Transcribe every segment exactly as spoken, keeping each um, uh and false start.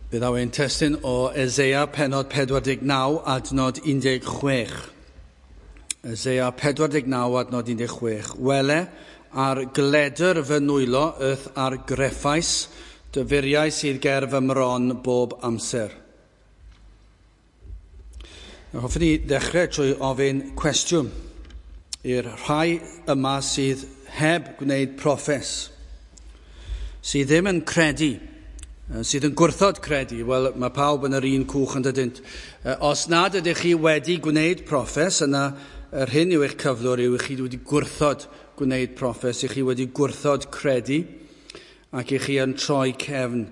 Fe ddaw ein testun o Eseia pennod pedwar deg naw adnod un deg chwech. Eseia pedwar deg naw adnod un deg chwech. Wele, ar gledr fy nwylo y'th argreffais, dy furiau sydd ger fy mron bob amser. Hoffwn i ddechrau trwy ofyn cwestiwn i'r rhai yma sydd heb gwneud proffes, sydd ddim yn credu, sydd yn gwrthod credu. Wel, mae pawb yn yr un cwch yn dydynt. Os nad ydych chi wedi gwneud proffes, yna yr hyn yw eich cyflwr yw i chi wedi gwrthod gwneud proffes, i chi wedi gwrthod credu, ac i chi yn troi cefn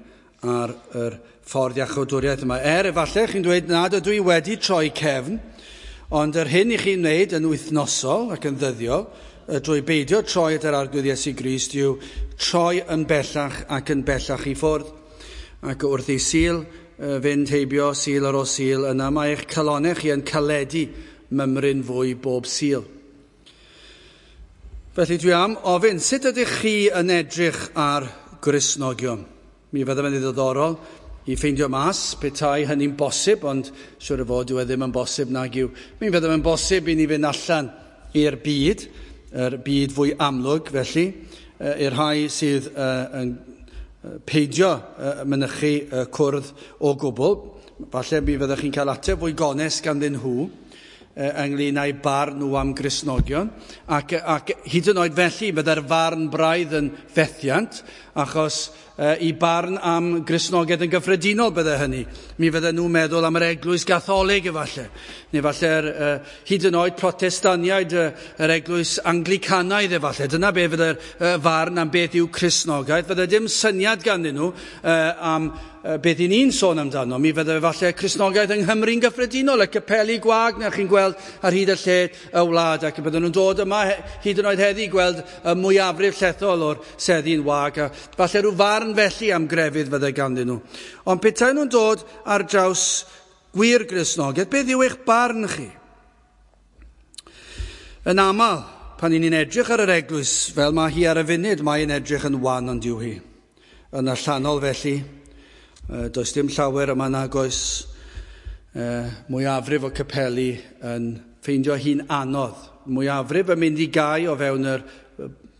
ar yr ffordd iachawdwriaeth yma. Er efallai chi'n dweud nad ydw i wedi troi cefn, ond yr hyn i chi'n wneud yn wythnosol ac yn ddyddiol, drwy beidio troi at yr Arglwydd Iesu Grist, yw troi yn bellach ac yn bellach i ffwrdd. Ac wrth i Sul fynd heibio, Sul ar ôl Sul, yna mae eich calonnau chi yn caledu mymryn fwy bob Sul. Felly dwi am ofyn, sut ydych chi yn edrych ar Gristnogion? Mi fydda fe'n ddiddorol i ffeindio mas petai hynny'n bosib, ond siŵr o fod dyw e ddim yn bosib nag yw. Mi fydda fe'n bosib i ni fynd allan i'r byd, yr byd fwy amlwg felly, i'r rhai sydd yn peidio mynychu cwrdd o gwbl. Falle mi fyddwch chi'n cael ateb fwy gonest ganddyn nhw ynglyn â'u barn nhw am Gristnogion, ac, ac hyd yn oed felly bydde'r farn braidd yn fethiant, achos i barn am Gristnogaeth yn gyffredinol bydde hynny. Mi fydden nhw'n meddwl am yr eglwys Gatholig efallai, neu falle'r uh, hyd yn oed Protestaniaid, uh, yr eglwys Anglicanaidd efallai. Dyna be fydde'r uh, farn am beth yw Cristnogaeth. Fydde dim syniad ganddyn nhw uh, am uh, beth i ni'n sôn amdano. Mi fydde efallai Cristnogaeth yng Nghymru'n gyffredinol, y capeli gwag na chi'n gweld ar hyd y lled y wlad, ac bydden nhw'n dod yma hyd yn oed heddi gweld y mwyafrif llethol o'r seddi'n wag, a falle rhyw farn felly am grefydd fydde ganddyn nhw. Ond petai nhw'n dod ar draws gwir Gristnogaeth, beth yw eich barn chi? Yn aml, pan ni'n edrych ar yr eglwys fel mae hi ar y funud, mae'n edrych yn wan ond yw hi. Yn allanol felly, does dim llawer yma nag oes mwyafrif o capeli yn ffeindio hi'n anodd. Mwyafrif yn mynd i gau o fewn yr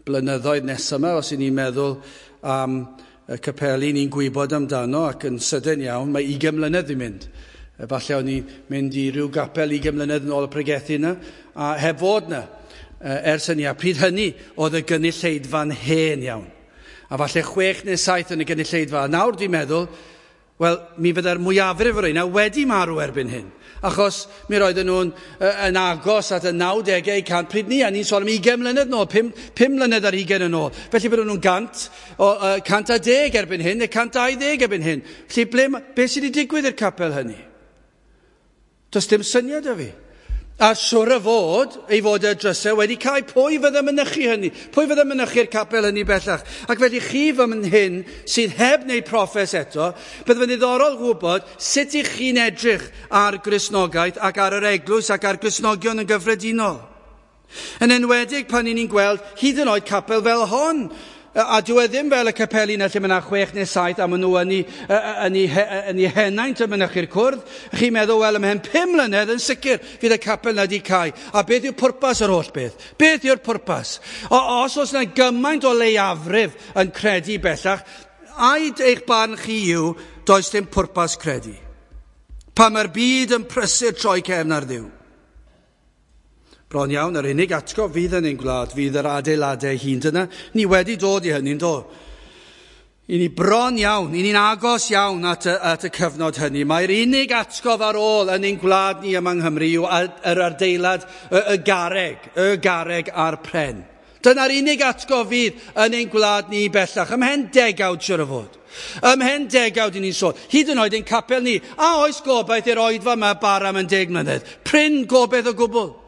blynyddoedd nesaf yma, os y'n ni'n meddwl am y capeli ni'n gwybod amdano, ac yn sydyn iawn, mae ugain mlynedd i mynd. Falle o'n i'n mynd i ryw gapel ugain mlynedd yn ôl y pregethu yna, a heb fod yna ers hynny. A pryd hynny oedd y gynulleidfa'n hen iawn. A falle chwech neu saith yn y gynulleidfa. A nawr dwi'n meddwl, wel, mi fydde'r mwyafrif o'r rheina wedi marw erbyn hyn. Achos mi roedden nhw'n yn agos at y nawdegau cant pryd ni, a ni'n sôn am ugain mlynedd nôl, pum, pum mlynedd ar hugain yn ôl. Felly bydden nhw'n gant, o, uh, cant a deg erbyn hyn, neu cant dau ddeg erbyn hyn. Felly ble, beth sydd wedi digwydd i'r capel hynny? Does dim syniad o fi. A siwr o fod, ei fod y drysau wedi cael, pwy fydde mynychu hynny? Pwy fydde mynychu'r capel hynny bellach? Ac felly chi fan hyn sydd heb wneud proffes eto, bydde fe'n ddiddorol gwybod sut i chi'n edrych ar Gristnogaeth ac ar yr eglwys ac ar Gristnogion yn gyffredinol. Yn enwedig pan ni'n gweld hyd yn oed capel fel hon, a dyw e ddim fel y capeli yna lle mae yna chwech neu saith a maen nhw yn ei, yn ei, yn ei henaint yn mynychu'r cwrdd. Chi'n meddwl, wel, ymhen pum mlynedd yn sicr fydd y capel yna wedi cau. A beth yw pwrpas yr holl beth? Beth yw'r pwrpas? O, os oes yna gymaint o leiafrif yn credu bellach, ai eich barn chi yw, does dim pwrpas credu. Pan mae'r byd yn prysur troi cefn ar Dduw. Bron iawn, yr unig atgof fydd yn ein gwlad, fydd yr adeiladau hun. Dyna, ni wedi dod i hynny'n do. I ni bron iawn, i ni'n agos iawn at y, at y cyfnod hynny. Mae'r unig atgof ar ôl yn ein gwlad ni yma yng Nghymru yw yr adeilad, y, y garreg, y garreg a'r pren. Dyna'r unig atgof fydd yn ein gwlad ni bellach. Ymhen degawd siwr o fod. Ymhen degawd i ni'n sôn. Hyd yn oed ein capel ni. A oes gobaith i'r oedfa yma bara am yn deg mlynedd? Prin gobaith o gwbl.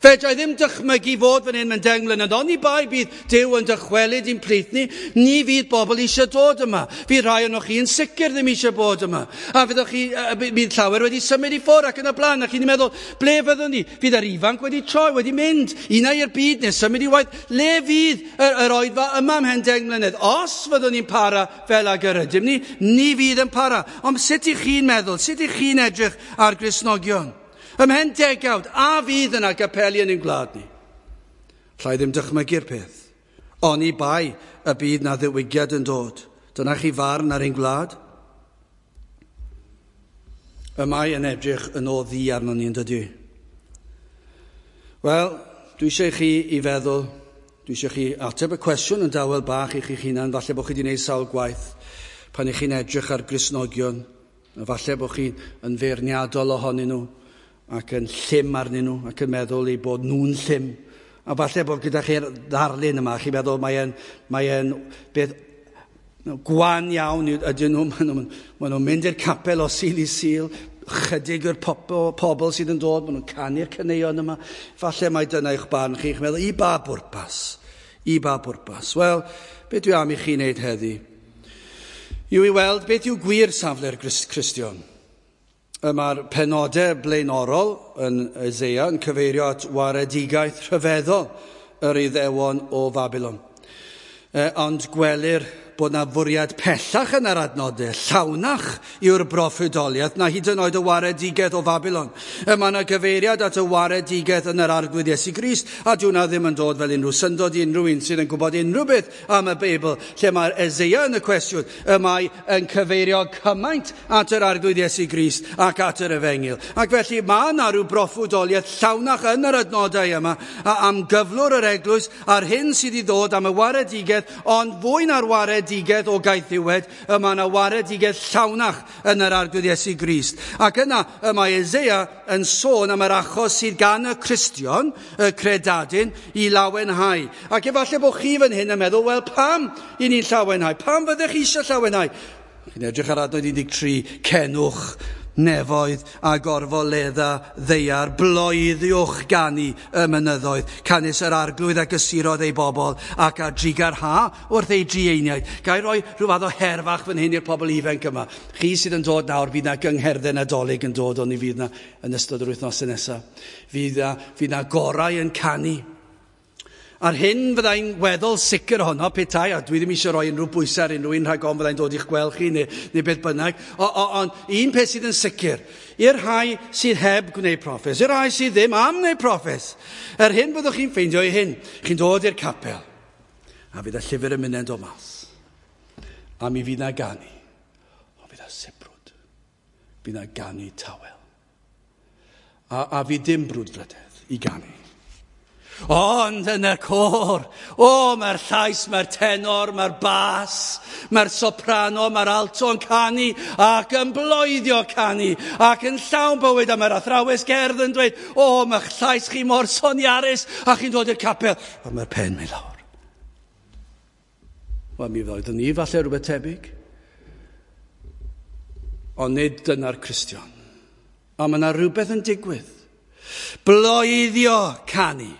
Fedra i ddim dychmygu fod fan hyn mewn deng mlynedd, oni bai bydd Duw yn dychwelyd i'n plith ni, ni fydd bobl eisiau dod yma. Fydd rhai ohonoch chi yn sicr ddim eisiau bod yma. A fyddwch chi, bydd llawer wedi symud i ffwrdd ac yn y blaen, ac chi'n meddwl, ble fyddwn ni? Fydd yr ifanc wedi troi, wedi mynd, un ai i'r byd neu symud i waith. Le fydd yr, yr oedfa yma ymhen deng mlynedd? Os fyddwn ni'n para fel ag yr ydym ni, ni fydd yn para. Ond sut ych chi'n meddwl? Sut ych chi'n edrych ar Gristnogion? Ymhen degawd, a fydd yna gapeli yn ein gwlad ni? Alla i ddim dychmygu'r peth. Oni bai y bydd na ddiwygiad yn dod. Dyna chi farn ar ein gwlad? Y mae yn edrych yn o ddu arnon ni, yn dydy? Wel, dwi eisiau chi i feddwl, dwi eisiau chi ateb y cwestiwn yn dawel bach i chi'ch hunan, falle bod chi wedi gwneud sawl gwaith pan ych chi'n edrych ar Gristnogion, a falle bod chi'n yn feirniadol ohonyn nhw, ac yn llym arnyn nhw, ac yn meddwl eu bod nhw'n llym. A falle bod gyda chi'r ddarlun yma, chi'n meddwl mae'n mae e'n beth gwan iawn ydyn nhw. Maen nhw'n ma nhw mynd i'r capel o Sul i Sul, chydig o'r pobl, pobl sydd yn dod, maen nhw'n canu'r caneuon yma. Falle mai dyna eich barn chi, chi'n meddwl, i ba bwrpas? I ba bwrpas? Wel, beth dwi am i chi wneud heddi yw i weld beth yw gwir safle'r Cristion. Mae'r penodau blaenorol yn Eseia yn cyfeirio at waredigaeth rhyfeddol yr Iddewon o Fabilon. E, ond gwelir bod na fwriad pellach yn yr adnodau, llawnach yw'r broffwydoliaeth na hyd yn oed y waredigaeth o Fabilon. E, mae yna gyfeiriad at y waredigaeth yn yr Arglwydd Iesu Grist, a dyw hwnna ddim yn dod fel unrhyw syndod i unrhyw un sydd yn gwybod unrhyw beth am y Beibl, lle mae'r Eseia yn y cwestiwn, y mae yn cyfeirio cymaint at yr Arglwydd Iesu Grist ac at yr Efengyl. Ac felly mae yna rhyw broffwydoliaeth llawnach yn yr adnodau yma am gyflwr yr eglwys a'r hyn sydd i ddod am y waredigaeth, ond fwy na'r waredigaeth o gaethiwed, y mae yna waredigaeth llawnach yn yr Arglwydd Iesu Grist. Ac yna y mae Eseia yn sôn am yr achos sydd gan y Cristion, y credadun, i lawenhau. Ac efallai bod chi fan hyn yn meddwl, wel pam i ni'n llawenhau? Pam fyddech chi eisiau llawenhau? Chi'n edrych ar adnod un deg tri, cenwch nefoedd a gorfoledda ddaear, bloeddiwch ganu y mynyddoedd, canys yr Arglwydd a gysurodd ei bobl ac a drugarha wrth ei drueiniaid. Ga i roi rhyw fath o her fach fan hyn i'r pobl ifanc yma. Chi sydd yn dod nawr, fydd na gyngherddau Nadolig yn dod, ond ni fydd na yn ystod yr wythnosau nesaf. Fydd na, fydd na gorau yn canu. A'r hyn fyddai'n weddol sicr ohono petai, a dwi ddim eisiau rhoi unrhyw bwysau ar unrhyw un rhag ofn fyddai'n dod i'ch gweld chi neu, neu beth bynnag, ond un peth sydd yn sicr, i'r rhai sydd heb gwneud proffes, i'r rhai sydd ddim am wneud proffes, yr hyn byddwch chi'n ffeindio i hyn, chi'n dod i'r capel, a fydd y llyfr yn mynd o mas, a mi fydd na ganu, ond fydd na sibrwd, fydd na ganu tawel, a, a fydd dim brwdfrydedd i ganu. Ond yn y côr, o, mae'r llais, mae'r tenor, mae'r bas, mae'r soprano, mae'r alto yn canu ac yn bloeddio canu ac yn llawn bywyd, a mae'r athrawes gerdd yn dweud, o, mae'ch llais chi mor soniarus, a chi'n dod i'r capel, a mae'r pen mynd lawr. Wel, mi ddoeddwn ni falle rhywbeth tebyg. Ond nid dyna'r Cristion. A mae yna rhywbeth yn digwydd. Bloeddio canu.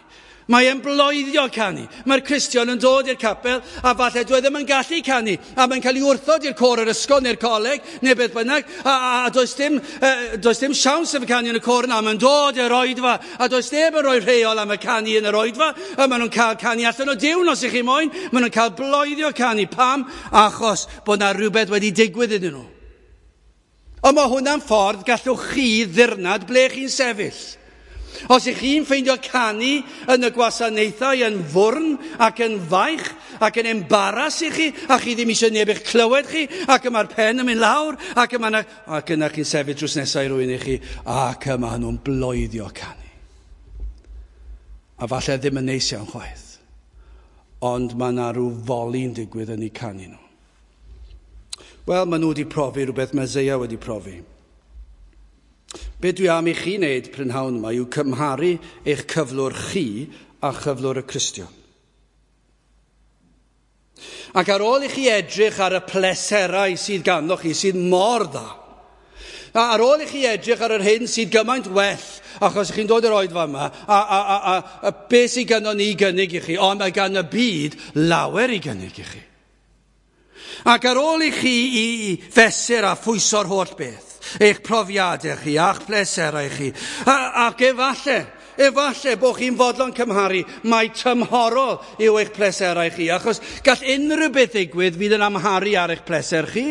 Mae e'n bloeddio canu. Mae'r Cristion yn dod i'r capel a falle dwi ddim yn gallu canu. A mae'n cael ei wrthod i'r côr yr ysgol neu'r coleg neu beth bynnag. A, a, a does dim, uh, does dim siawns efo canu yn y côr yna. Mae'n dod i'r oedfa a does neb yn rhoi rheol am y canu yn yr oedfa. A maen nhw'n cael canu allan o diwn os ych chi moyn. Maen nhw'n cael bloeddio canu. Pam? Achos bod na rhywbeth wedi digwydd iddyn nhw. Ond mae hwnna'n ffordd gallwch chi ddirnad ble chi'n sefyll. Os ych chi'n ffeindio canu yn y gwasanaethau yn fwrn ac yn faich ac yn embaras i chi, a chi ddim eisiau neb eich clywed chi, ac y mae'r pen yn mynd lawr, ac yma, ac yna chi'n sefyll drws nesaf i rywun i chi, ac yma nhw'n bloeddio canu. A falle ddim yn neis iawn chwaith, ond mae yna rhyw foli'n digwydd yn eu canu nhw. Wel, maen nhw wedi profi rhywbeth mae Eseia wedi profi. Be dwi am i chi wneud prynhawn yma yw cymharu eich cyflwr chi a chyflwr y Cristion. Ac ar ôl i chi edrych ar y pleserau sydd ganddo chi, sydd mor dda, A ar ôl i chi edrych ar yr hyn sydd gymaint well, achos chi'n dod i'r oedfa yma, a, a, a, a, a beth sydd gynnon ni i gynnig i chi, ond mae gan y byd lawer i gynnig i chi. Ac ar ôl i chi i fesur a phwyso'r holl beth, eich profiadau chi, a'ch pleserau chi, a, ac efalle, efalle bod chi'n fodlon cymharu, mae tymhorol yw eich pleserau chi, achos gall unrhyw beth ddigwydd fydd yn amharu ar eich pleser chi.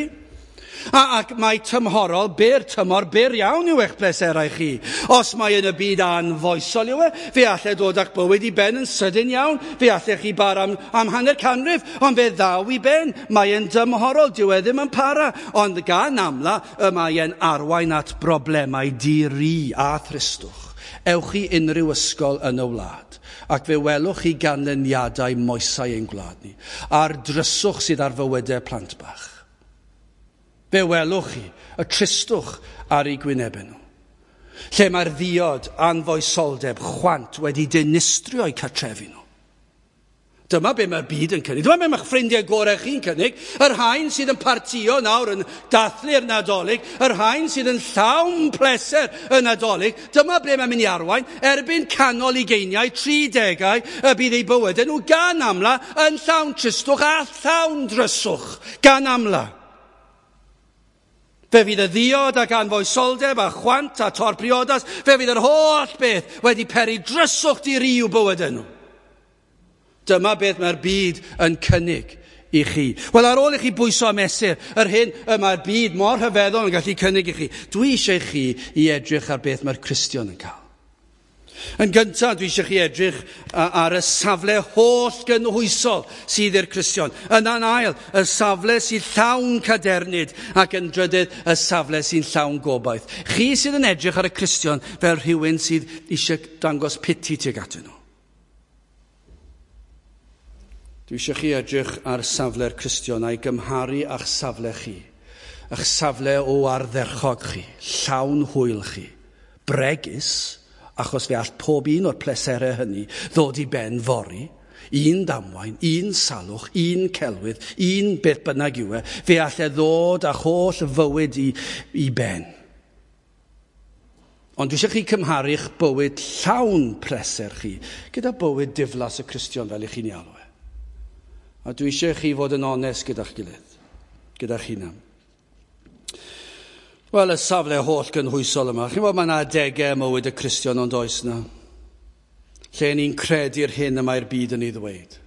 A, ac mae tymhorol, byr tymor, byr iawn yw eich pleserau chi. Os mae yn y byd anfoesol yw e, fe allai dod â'ch bywyd i ben yn sydyn iawn, fe allai chi bara am, am hanner canrif, ond fe ddaw i ben. Mae yn dymhorol, dyw e ddim yn para, ond gan amla y mae e'n arwain at broblemau di-ri a thristwch. Ewch i unrhyw ysgol yn y wlad, ac fe welwch chi ganlyniadau moesau ein gwlad ni, a'r dryswch sydd ar fywydau plant bach. Fe welwch chi y tristwch ar eu gwynebau nhw. Lle mae'r ddiod, anfoesoldeb, chwant wedi dinistrio eu cartrefi nhw. Dyma be mae'r byd yn cynnig. Dyma be mae'ch ffrindiau gorau chi'n cynnig. Yr rhain sydd yn partio nawr yn dathlu'r Nadolig, yr rhain sydd yn llawn pleser y Nadolig, dyma ble mae'n mynd i arwain. Erbyn canol ugeiniau, tridegau, y bydd eu bywydau nhw gan amla yn llawn tristwch a llawn dryswch gan amla. Fe fydd y ddiod ac anfoesoldeb a chwant a tor priodas, fe fydd yr holl beth wedi peri dryswch di-ri i'w bywydau nhw. Dyma beth mae'r byd yn cynnig i chi. Wel, ar ôl i chi bwyso a mesur yr hyn y mae'r byd mor rhyfeddol yn gallu cynnig i chi, dwi eisiau chi i edrych ar beth mae'r Cristion yn cael. Yn gyntaf, dwi eisiau chi edrych ar y safle holl gynhwysol sydd i'r Cristion. Yna'n ail, y safle sydd llawn cadernid, ac yn drydydd, y safle sy'n llawn gobaith. Chi sydd yn edrych ar y Cristion fel rhywun sydd eisiau dangos piti tuag atyn nhw. Dwi eisiau chi edrych ar safle'r Cristion a'i gymharu â'ch safle chi, a'ch safle o ardderchog chi, llawn hwyl chi, bregus, achos fe all pob un o'r pleserau hynny ddod i ben fory, un damwain, un salwch, un celwydd, un beth bynnag yw e, fe all e ddod â'ch holl fywyd i, i ben. Ond dwi eisiau chi cymharu'ch bywyd llawn pleser chi gyda bywyd diflas y Cristion fel i chi'n ei alw e. A dwi eisiau chi fod yn onest gyda'ch gilydd, gyda'ch hunan. Wel, y safle holl gynhwysol yma. Chi'n gwybod, mae yna adegau ym mywyd y Cristion ond oes na, lle ni'n credu'r hyn y mae'r byd yn ei ddweud.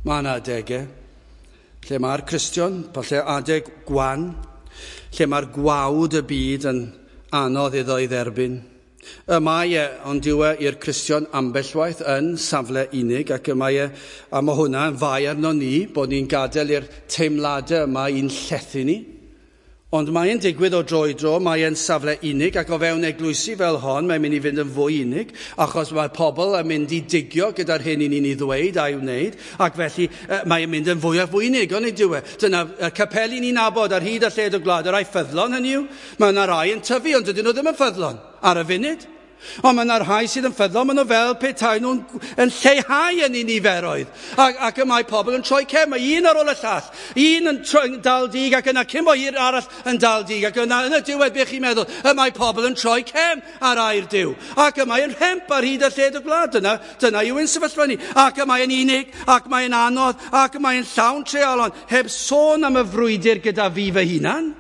Mae yna adegau lle mae'r Cristion, falle adeg gwan, lle mae'r gwawd y byd yn anodd iddo ei dderbyn. Y mae e, ond yw e i'r Cristion ambell waith yn safle unig, ac y mae e, a mae hwnna yn fai arno ni, bod ni'n gadael i'r teimladau yma i'n llethu ni. Ond mae'n digwydd o dro i dro, mae'n safle unig, ac o fewn eglwysi fel hon, mae'n mynd i fynd yn fwy unig, achos mae pobl yn mynd i digio gyda'r hyn i ni'n ei ddweud a'i wneud, ac felly mae'n mynd yn fwy a fwy unig, ond yw e. Dyna y capeli ni'n nabod ar hyd a lled y gwlad, y rai ffyddlon hynny yw, mae yna rai yn tyfu, ond dydyn nhw ddim yn ffyddlon ar y funud. Ond mae yna rhai sydd yn ffyddlon, maen nhw fel petai nhw'n yn lleihau yn eu niferoedd. Ac, ac y mae pobl yn troi cefn, mae un ar ôl y llall, un yn troi, dal dig ac yna cyn bo hir arall yn dal dig, ac yna yn y diwedd beth chi'n meddwl, y mae pobl yn troi cefn ar air Duw. Ac y mae yn rhemp ar hyd a lled y gwlad, dyna, dyna yw ein sefyllfa ni. Ac y mae'n unig, ac mae'n anodd, ac y mae'n llawn treialon, heb sôn am y frwydr gyda fi fy hunan.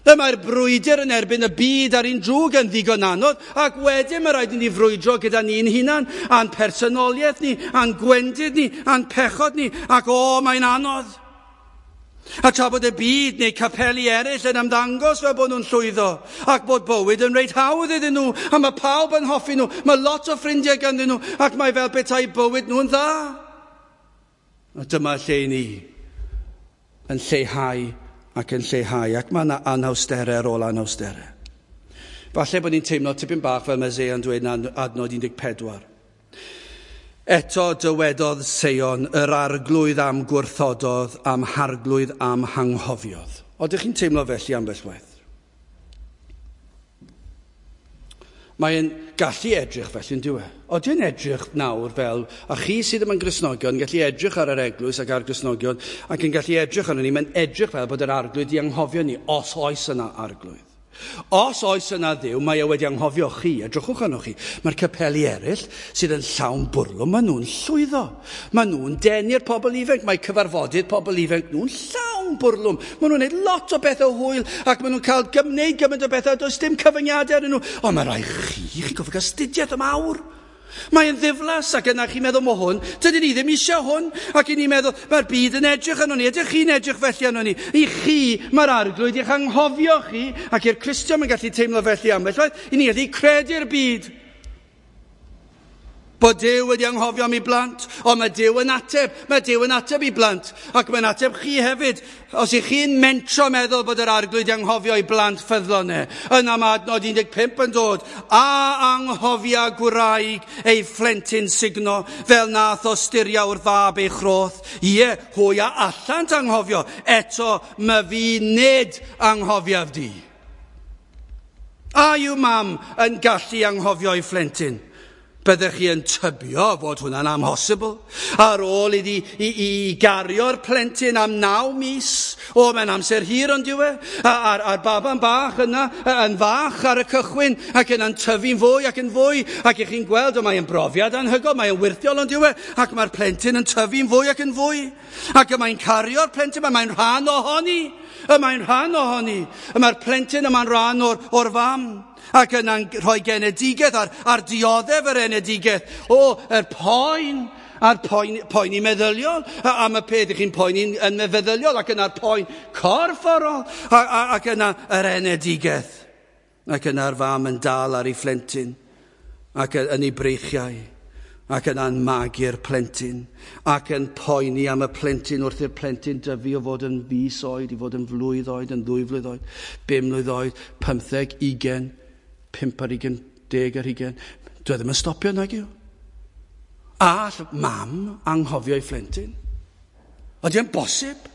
Y mae'r brwydr yn erbyn y byd a'r un drwg yn ddigon anodd, ac wedyn mae rhaid i ni frwydro gyda ni'n hunan, a'n personoliaeth ni, a'n gwendid ni, a'n pechod ni, ac o, mae'n anodd. A tra bod y byd neu capeli eraill yn ymddangos fel bod nhw'n llwyddo, ac bod bywyd yn reit hawdd iddyn nhw, a mae pawb yn hoffi nhw, mae lot o ffrindiau ganddyn nhw, ac mae fel petai bywyd nhw'n dda. A dyma lle ni yn lleihau ac yn lleihau, ac mae yna anawsterau ar ôl anawsterau. Falle bod ni'n teimlo tipyn bach fel mae Seion dweud yn adnod un deg pedwar. Eto dywedodd Seion, yr arglwydd am gwrthododd, am harglwydd am hanghofiodd. Odych chi'n teimlo felly ambell waith? Mae'n gallu edrych felly, yn dyw e? Oedden yn edrych nawr fel, a chi sydd ddim yn Gristnogion, yn gallu edrych ar yr eglwys ac ar Gristnogion, ac yn gallu edrych arno ni, mae'n edrych fel bod yr arglwydd di anghofio ni, os oes yna arglwydd. Os oes yna Dduw, mae e wedi anghofio chi, edrychwch arnoch chi. Mae'r capeli eraill sydd yn llawn bwrlwm, maen nhw'n llwyddo. Maen nhw'n denu'r pobl ifanc, mae cyfarfodydd pobl ifanc nhw'n llawn bwrlwm. Maen nhw'n gwneud lot o bethau hwyl ac maen nhw'n cael gwneud gymaint o bethau, does dim cyfyngiadau arnyn nhw. Ond mae rhai chi, chi'n gofio cael astudiaeth am awr. Mae'n ddiflas ac yna chi'n meddwl, mae hwn, dydyn ni ddim eisiau hwn. Ac i ni'n meddwl, mae'r byd yn edrych arno ni, ydych chi'n edrych felly arno ni? I chi, mae'r arglwydd i'ch anghofio chi, ac i'r Cristion mae'n gallu teimlo felly ambell waith, i ni gallu credu'r byd. Bod Duw wedi anghofio am ei blant, ond mae Duw yn ateb, mae Duw yn ateb i blant, ac mae'n ateb chi hefyd. Os ych chi'n mentro meddwl bod yr arglwydd anghofio i blant ffyddlon e, yna mae adnod un deg pump yn dod, a anghofia gwraig ei phlentyn sugno, fel nath osturia wrth fab ei chroth. Ie, hwy a allant anghofio, eto my fi nid anghofiaf di. A yw mam yn gallu anghofio ei phlentyn? Byddech chi yn tybio fod hwnna'n amhosibl. Ar ôl iddi i, i gario'r plentyn am naw mis, o, mae'n amser hir ond yw e, a'r, a'r baban bach yna yn fach ar y cychwyn, ac yna'n tyfu'n fwy ac yn fwy, ac ych chi'n gweld, o, mae'n brofiad anhygoel, mae'n wirthiol ond yw e, ac mae'r plentyn yn tyfu'n fwy ac yn fwy, ac y mae'n cario'r plentyn, mae'n rhan ohoni, y mae'n rhan ohoni, y mae'r plentyn yma'n rhan o'r, o'r fam. Ac yna'n rhoi genedigaeth a'r, a'r dioddef yr enedigaeth. O, yr poen, a'r poen, poeni meddyliol, am y peth ych chi'n poeni yn meddyliol, ac yna'r poen corfforol, a, a, ac yna yr enedigaeth. Ac yna'r fam yn dal ar ei phlentyn, ac yn ei breichiau, ac yna'n magu'r plentyn, ac yn poeni am y plentyn wrth i'r plentyn dyfu o fod yn fis oed, i fod yn flwydd oed, yn ddwy flwydd oed, bum mlwydd oed, pymtheg, ugain, pump ar ugain, deg ar ugain. Dwi ddim yn stopio nag yw. All mam anghofio ei phlentyn? Ydy e'n bosib?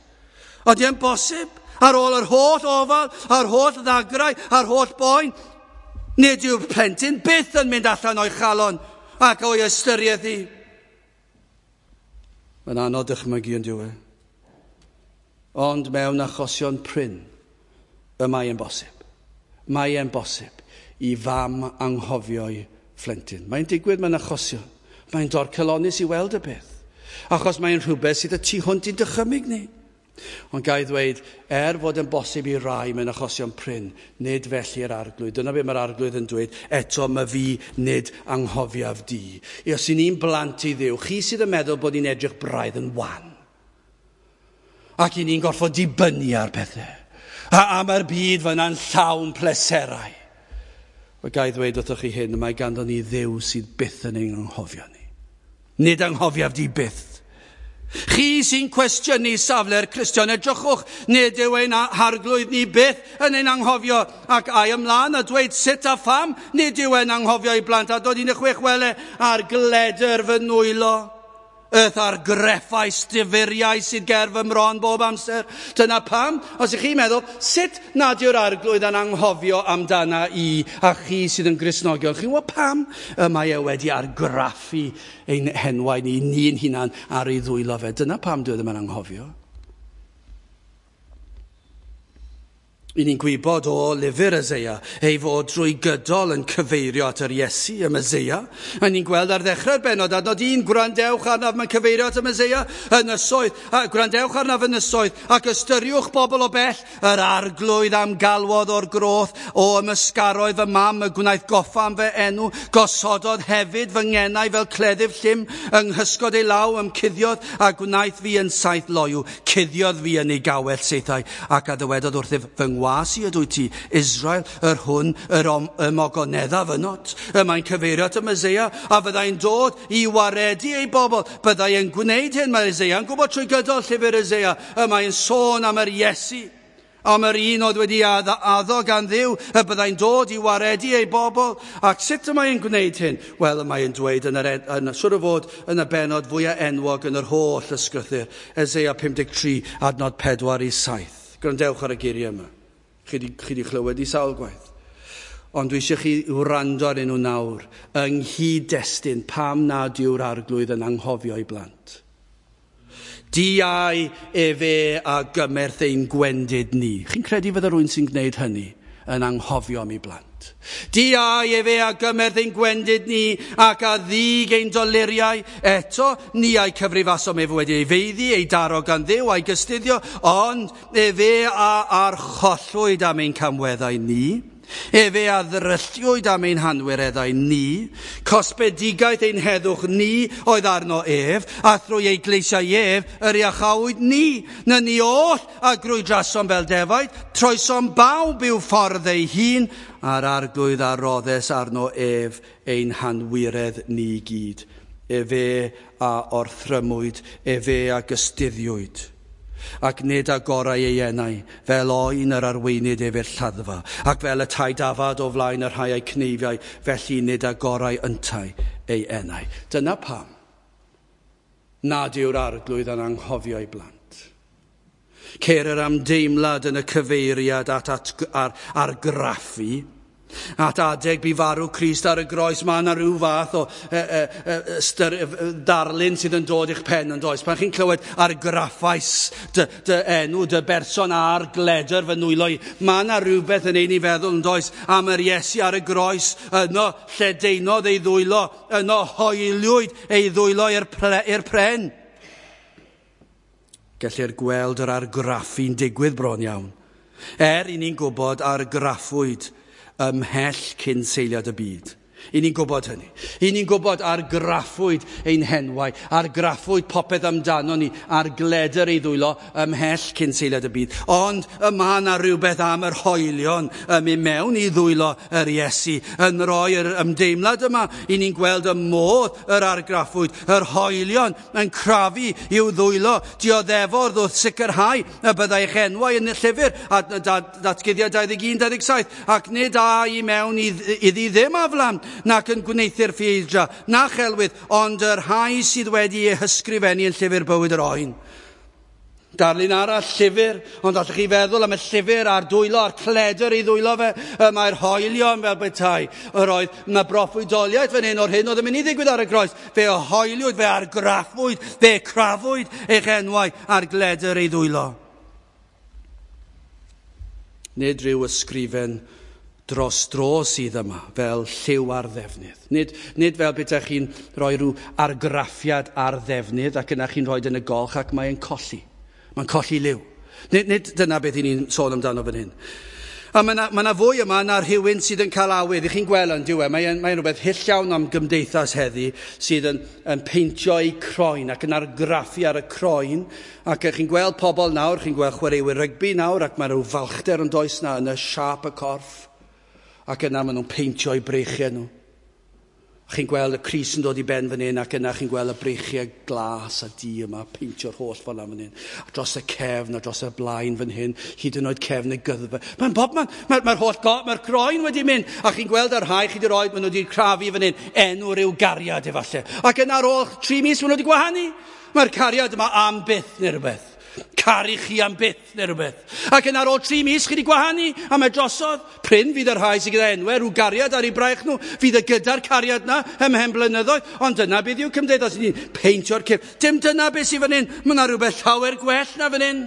Ydy e'n bosib? Ar ôl yr holl ofal, a'r holl ddagrau, a'r holl boen, nid yw'r plentyn byth yn mynd allan o'i chalon ac o'i ystyriaeth hi. Mae'n anodd dychmygu yn dyw e. Ond mewn achosion prin, y mae e'n bosib. Mae e'n bosib i fam anghofio'i phlentyn. Mae'n digwydd mewn achosion. Mae'n dorcalonnus i weld y peth. Achos mae'n rhywbeth sydd y tu hwnt i'n dychymyg ni. Ond ga i ddweud, er fod yn bosib i rai mewn achosion prin, nid felly yr arglwydd. Dyna beth mae'r arglwydd yn dweud, eto mae fi nid anghofiaf di. I os i ni'n blant i Dduw, chi sydd yn meddwl bod ni'n edrych braidd yn wan. Ac i ni'n gorfod dibynnu ar pethau. A, a mae'r byd fyna'n llawn pleserau. Wel, ga i ddweud wrthych chi hyn, mae ganddo ni Dduw sydd byth yn ein anghofio ni. Nid anghofiaf di byth. Chi sy'n cwestiynu safle'r Cristion, edrychwch, nid yw ein harglwydd ni byth yn ein anghofio, ac ai ymlaen a dweud sut a pham, nid yw ein anghofio i blant, a dod un chwech wele ar gledr fy nwylo. Yth ar greffau stifuriau sydd ger fy mron bob amser. Dyna pam, os ych chi'n meddwl, sut nad yw'r arglwydd yn anghofio amdana i a chi sydd yn Gristnogion? Chi'n gwybod pam? Y mae e wedi argraffu ein henwau ni, ni'n hunan ar ei ddwylo fe. Dyna pam dwi ddim yn anghofio. I ni'n gwybod o lyfr Eseia ei fod drwy gydol yn cyfeirio at yr Iesu, y Meseia. A ni'n gweld ar ddechrau'r bennod, adnod un, gwrandewch arnaf, mae'n cyfeirio at y Meseia, ynysoedd, a gwrandewch arnaf ynysoedd, ac ystyriwch bobl o bell, yr arglwydd am galwodd o'r groth, o ymysgaroedd fy mam, y gwnaeth goffa am fy enw, gosododd hefyd fy ngenau fel cleddyf llym, yng nghysgod ei law ymcuddiodd, a gwnaeth fi yn saith loyw, cuddiodd fi yn ei gawell saethau, ac a ddywedodd wrthyf fy ngwas i ydw ti, Israel, yr hwn, yr ymogoneddaf ynot. Y mae'n cyfeirio at y Meseia, a fyddai'n dod i waredu ei bobl. Byddai yn gwneud hyn, mae Eseia yn gwybod trwy gydol llyfr Eseia. Y mae'n sôn am yr Iesu, am yr un oedd wedi addo gan Dduw, y byddai'n dod i waredu ei bobl. Ac sut y mae'n gwneud hyn? Wel, y mae'n dweud yn yr, yn, siŵr o fod yn y bennod fwyaf enwog yn yr holl ysgrythur, Eseia pum deg tri, adnod pedwar i saith. Gwrandewch ar y geiriau yma. Chi di, chi di chlywed i sawl gwaith. Ond dwi eisiau chi wrando arnyn nhw nawr yng nghyd-destun pam nad yw'r arglwydd yn anghofio ei blant. Diau efe a gymerth ein gwendid ni. Chi'n credu fydda rhywun sy'n gwneud hynny yn anghofio am ei blant. Diau efe a gymerth ein gwendid ni ac a ddig ein doluriau. Eto, ni a'i cyfrifasom ef wedi ei feiddi, ei daro gan Dduw a'i gystuddio, ond efe a archollwyd am ein camweddau ni. Efe a ddrylliwyd am ein hanwireddau ni, cosbedigaeth ein heddwch ni oedd arno ef, a thrwy ei gleisiau ef yr iachawyd ni. Na ni oll a grwydrasom fel defaid, troesom bawb i'w ffordd ei hun, a'r arglwydd a roddes arno ef ein hanwiredd ni gyd. Efe a orthrymwyd, efe a gystuddiwyd. Ac nid agorau ei enau, fel oen yr arweinid ef i'r lladdfa, ac fel y tai dafad o flaen y rhai a'i cneifiau, felly nid agorau yntau ei enau. Dyna pam nad yw'r arglwydd yn anghofio ei blant. Ceir yr amdeimlad yn y cyfeiriad at, at ar, argraffu, at adeg bu farw Crist ar y groes, mae yna rhyw fath o e, e, e, styr, e, darlun sydd yn dod i'ch pen yn does. Pan chi'n clywed argraffais dy, dy enw, dy berson ar gledr fy nwylo i, mae yna rhywbeth yn ein i feddwl yn does am yr Iesu ar y groes, yno lledaenodd ei ddwylo, yno hoeliwyd ei ddwylo i'r i'r pren. Gellir gweld yr argraffu'n digwydd bron iawn. Er i ni'n gwybod argraffwyd ymhell cyn seiliad y byd. I ni'n gwybod hynny. I ni'n gwybod argraffwyd ein henwau, argraffwyd popeth amdano ni, ar gledr ei ddwylo ymhell cyn seiliad y byd. Ond y mae yna rhywbeth am yr hoelion yn mynd mewn i ddwylo yr Iesu, yn rhoi yr ymdeimlad yma. I ni'n gweld y modd yr argraffwyd, yr hoelion yn crafu i'w ddwylo, dioddefodd wrth sicrhau y byddai eich enwau yn y llyfr, a datguddiad dau ddeg un dau ddeg saith, ac nid â i mewn iddi ddim aflan, nac yn gwneuthur ffieidra, na chelwydd, ond y rhai sydd wedi eu hysgrifennu yn llyfr bywyd yr oen. Darlun arall, llyfr, ond allwch chi feddwl am y llyfr a'r dwylo, a'r cledr i ddwylo fe, mae'r hoelion fel petai. Yr oedd yna broffwydoliaeth fan hyn o'r hyn oedd yn mynd i ddigwydd ar y groes. Fe hoeliwyd, fe argraffwyd, fe crafwyd eich enwau ar gledr ei ddwylo. Nid rhyw ysgrifen dros dro sydd yma, fel lliw ar ddefnydd. Nid, nid fel bydech chi'n rhoi rhyw argraffiad ar ddefnydd ac yna chi'n rhoi yn y golch ac mae'n colli. Mae'n colli liw. Nid, nid dyna beth i ni'n sôn amdano fan hyn. A mae yna, mae yna fwy yma na rhywun sydd yn cael awydd. I chi'n gweld yn diwedd, mae'n mae rhywbeth hyll iawn am gymdeithas heddi sydd yn, yn peintio eu croen ac yn argraffu ar y croen. Ac chi'n gweld pobl nawr, chi'n gweld chwaraewyr rygbi nawr, ac mae rhyw falchder yn does na yn y siâp y corff. Ac yna maen nhw'n peintio eu breichiau nhw. Chi'n gweld y crys yn dod i ben fan hyn, ac yna chi'n gweld y breichiau glas a du yma, peintio'r holl ffordd lan fan hyn. A dros y cefn, a dros y blaen fan hyn, hyd yn oed cefn y gyddfa. Mae'n bob man, mae'r mae holl go, mae'r croen wedi mynd. A chi'n gweld yr rhai chi wedi rhoi, maen nhw wedi crafu fan hyn, enw rhyw gariad efallai. Ac yna ar ôl tri mis maen nhw wedi gwahanu. Mae'r cariad yma am byth neu rhywbeth. Caru chi am byth neu rhywbeth. Ac yn ar ôl tri mis chi wedi gwahanu, a mae drosodd. Prin fydd y rhai sydd gyda enwau rhyw gariad ar ei braich nhw, fydd y gyda'r cariad na ymhen blynyddoedd, ond dyna beth yw cymdeithas, ni'n peintio'r cyrff. Dim dyna beth sydd fan hyn, mae yna rhywbeth llawer gwell na fan hyn.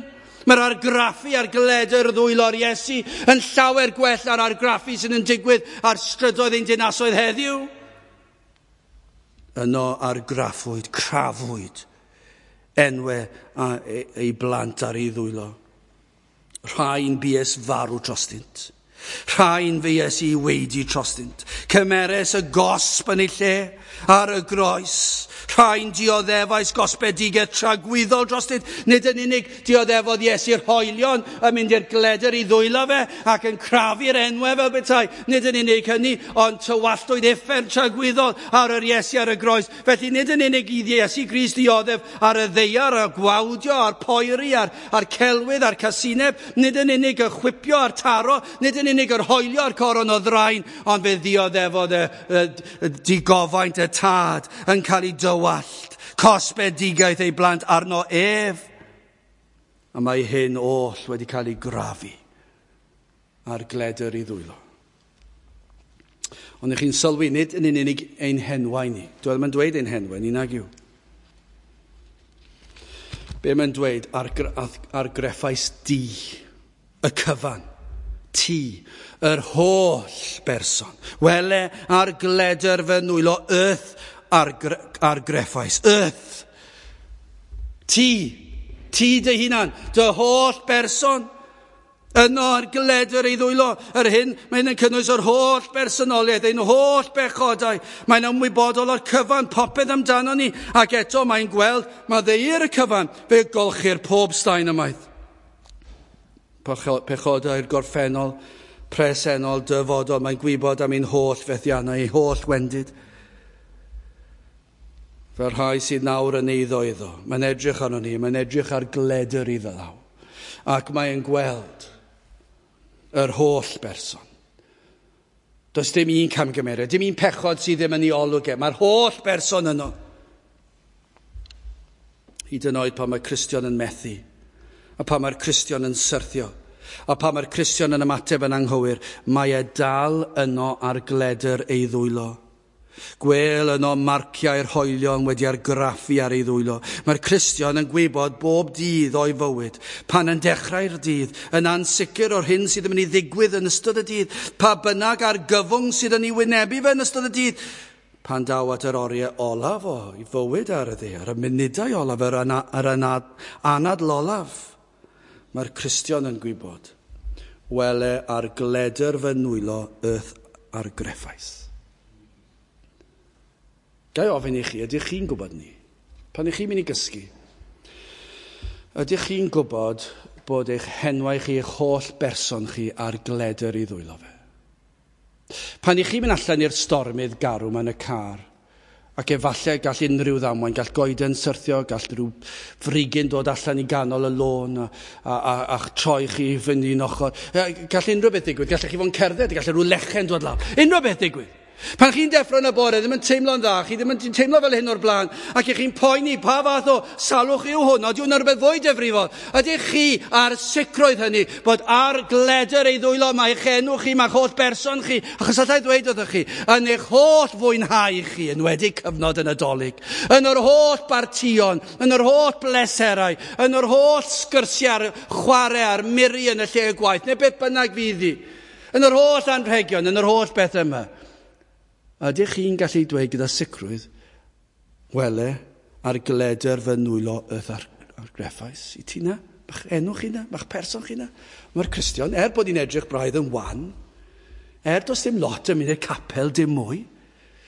Mae'r argraffu ar gledr ddwylo'r Iesu yn llawer gwell na'r argraffu sydd yn digwydd ar strydoedd ein dinasoedd heddiw. Yno argraffwyd, crafwyd enwau a ei blant ar ei ddwylo. Rhain bues farw drostynt. Rhain fues i weidi drostynt. Cymeres y gosb yn ei lle ar y groes. Rhain dioddefais gosbedigaeth tragwyddol drostynt. Nid yn unig dioddefodd Iesu'r hoelion yn mynd i'r gledr i ddwylo fe ac yn crafu'r enwau fel petai. Nid yn unig hynny, ond tywalltwyd uffern tragwyddol ar yr Iesu ar y groes. Felly nid yn unig i Iesu Grist dioddef ar y ddaear, a'r gwawdio, a'r poeri, a'r, a'r celwydd, a'r casineb. Nid yn unig y chwipio a'r taro, nid yn unig yr hoelio a'r coron o ddrain, ond fe ddioddefodd y, y, y digofaint y tad yn cael ei dywallt, cosbedigaeth ei blant arno ef. A mae hyn oll wedi cael ei grafu ar gledr ei ddwylo. Ond ych chi'n sylwi, nid yn unig ein henwau ni. Dwi ddim yn dweud ein henwau ni, nag yw. Be mae'n dweud, argreffais di, y cyfan. Ti, yr holl berson. Wele ar gledr fy nwylo, y'th argreffais. Y'th. Ti, ti dy hunan, dy holl berson. Yno ar gledr ei ddwylo, yr hyn, mae'n yn cynnwys yr holl bersonoliaeth, ein holl bechodau. Mae'n ymwybodol o'r cyfan, popeth amdano ni, ac eto mae'n gweld, mae ddeir y cyfan, fe golchir pob staen ymaith. Pechodau'r gorffennol, presennol, dyfodol, mae'n gwybod am ein holl fethiannau, ei holl wendid. Fel rhai sydd nawr yn eiddo iddo, mae'n edrych arno ni, mae'n edrych ar gledr iddo ddaw. Ac mae'n gweld yr holl berson. Does dim un camgymeriad, dim un pechod sydd ddim yn ei olwg e. Mae'r holl berson yno. Hyd yn oed pan mae Cristion yn methu, a pan mae'r Cristion yn syrthio, a pan mae'r Cristion yn ymateb yn anghywir, mae e dal yno ar gledr ei ddwylo. Gwel yno marciau'r hoelion wedi argraffu ar ei ddwylo. Mae'r Cristion yn gwybod bob dydd o'i fywyd, pan yn dechrau'r dydd, yn ansicr o'r hyn sydd yn mynd i ddigwydd yn ystod y dydd, pa bynnag argyfwng sydd yn ei wynebu fe yn ystod y dydd, pan daw at yr oriau olaf o'i fywyd ar y ddaear, y munudau olaf, yr, ana, yr anad, anadl olaf, mae'r Cristion yn gwybod, wele ar gledr fy nwylo y'th argreffais. Ga i ofyn i chi, ydych chi'n gwybod ni? Pan ych chi'n mynd i gysgu, ydych chi'n gwybod bod eich henwau chi, eich holl berson chi ar gledr i ddwylo fe? Pan ych chi'n mynd allan i'r stormydd garw mewn y car, ac efallai gall unrhyw ddamwain, gall goeden syrthio, gall rhyw frigyn dod allan i ganol y lôn a, a, a, a troi chi fyny un ochr. Gall unrhyw beth ddigwydd, gallech chi fod yn cerdded, gall rhyw lechen dod lawr. Unrhyw beth ddigwydd. Pan chi'n deffro yn y bore, ddim yn teimlo'n dda, chi ddim yn teimlo fel hyn o'r blaen, ac ych chi'n poeni pa fath o salwch yw hwn, ydy hwnna'n rhywbeth fwy difrifol. Ydych chi ar sicrwydd hynny bod ar gledr ei ddwylo mae eich enw chi, mae'ch holl berson chi, achos allai ddweud wrthych chi, yn eich holl fwynhau chi, yn wedi cyfnod y Nadolig, yn yr holl bartïon, yn yr holl bleserau, yn yr holl sgyrsiau, chwarae a'r miri yn y lle gwaith, neu beth bynnag fydd hi, yn yr holl anrhegion, yn yr holl beth yma. Ydych chi'n gallu dweud gyda sicrwydd, wele, ar gledr fy nwylo y'th ar, argreffais i ti na? Ma'ch enw chi na? Ma'ch person chi na? Mae'r Cristion, er bod hi'n edrych braidd yn wan, er does dim lot yn mynd i'r capel dim mwy,